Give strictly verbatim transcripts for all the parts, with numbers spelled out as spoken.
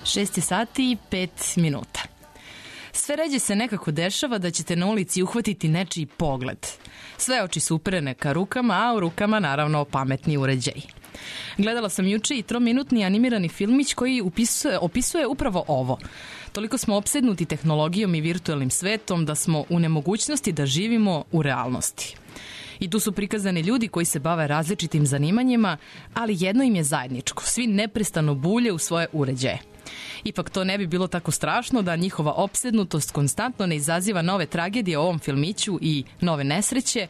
šest je sati i pet minuta. Sve ređe se nekako dešava da ćete na ulici uhvatiti nečiji pogled. Sve oči su uperene ka rukama, a u rukama naravno pametni uređaji. Gledala sam juče i trominutni animirani filmić koji upisuje, opisuje upravo ovo. Toliko smo opsednuti tehnologijom i virtualnim svetom da smo u nemogućnosti da živimo u realnosti. I tu su prikazani ljudi koji se bave različitim zanimanjima, ali jedno im je zajedničko. Svi neprestano bulje u svoje uređaje. Ipak to ne bi bilo tako strašno da njihova opsednutost konstantno ne izaziva nove tragedije u ovom filmiću i nove nesreće.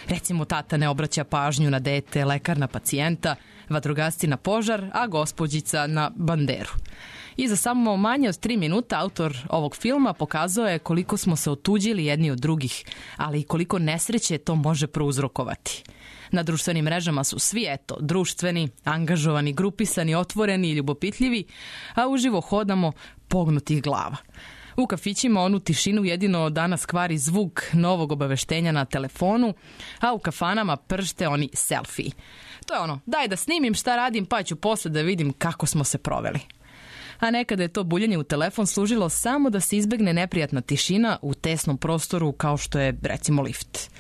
Recimo, tata ne obraća pažnju na dete, lekar na pacijenta, vatrogasci na požar, a gospođica na banderu. I za samo manje od tri minuta autor ovog filma pokazao je koliko smo se otuđili jedni od drugih, ali i koliko nesreće to može prouzrokovati. Na društvenim mrežama su svi, eto, društveni, angažovani, grupisani, otvoreni i ljubopitljivi, a uživo hodamo pognutih glava. U kafićima onu tišinu jedino danas kvari zvuk novog obaveštenja na telefonu, a u kafanama pršte oni selfiji. To je ono, daj da snimim šta radim pa ću posle da vidim kako smo se proveli. A nekada je to buljenje u telefon služilo samo da se izbegne neprijatna tišina u tesnom prostoru kao što je, recimo, lift.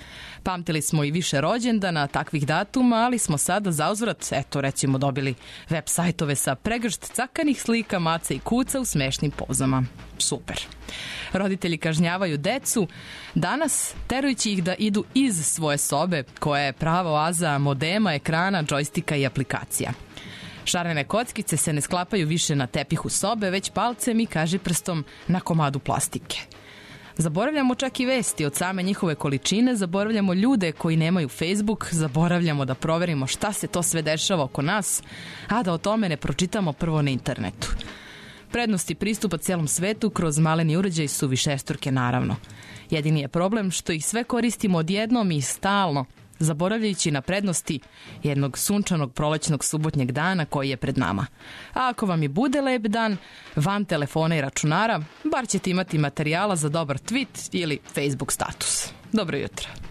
Pamtili smo i više rođendana takvih datuma, ali smo sada zauzvrat, eto, recimo, dobili web sajtove sa pregršt cakanih slika, maca i kuca u smešnim pozama. Super. Roditelji kažnjavaju decu danas terujući ih da idu iz svoje sobe, koja je prava oaza modema, ekrana, džojstika i aplikacija. Šarene kockice se ne sklapaju više na tepihu sobe, već palcem i kažiprstom na komadu plastike. Zaboravljamo čak i vesti od same njihove količine, zaboravljamo ljude koji nemaju Facebook, zaboravljamo da proverimo šta se to sve dešava oko nas, a da o tome ne pročitamo prvo na internetu. Prednosti pristupa cijelom svetu kroz maleni uređaj su višestruke, naravno. Jedini je problem što ih sve koristimo odjednom i stalno, zaboravljajući na prednosti jednog sunčanog prolećnog subotnjeg dana koji je pred nama. A ako vam i bude lep dan, van telefona i računara, bar ćete imati materijala za dobar tweet ili Facebook status. Dobro jutro.